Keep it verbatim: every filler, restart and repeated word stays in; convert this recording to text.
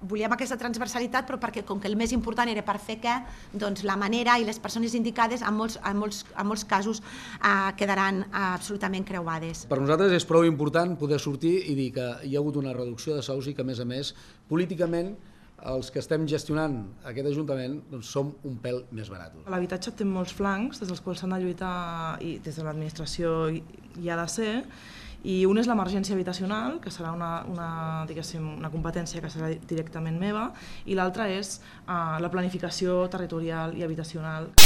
volíem aquesta transversalitat, però perquè com que el més important era per fer què, doncs la manera i les persones indicades en molts, en molts, en molts casos eh, quedaran eh, absolutament creuades. Per nosaltres és prou important poder sortir i dir que hi ha hagut una reducció de sous i que, a més a més, políticament, els que estem gestionant aquest Ajuntament doncs som un pèl més barats. L'habitatge té molts flancs des dels quals s'han de lluitar i des de l'administració hi ha de ser, i un és l'emergència habitacional, que serà una, una, diguéssim, una competència que serà directament meva, i l'altre és uh, la planificació territorial i habitacional.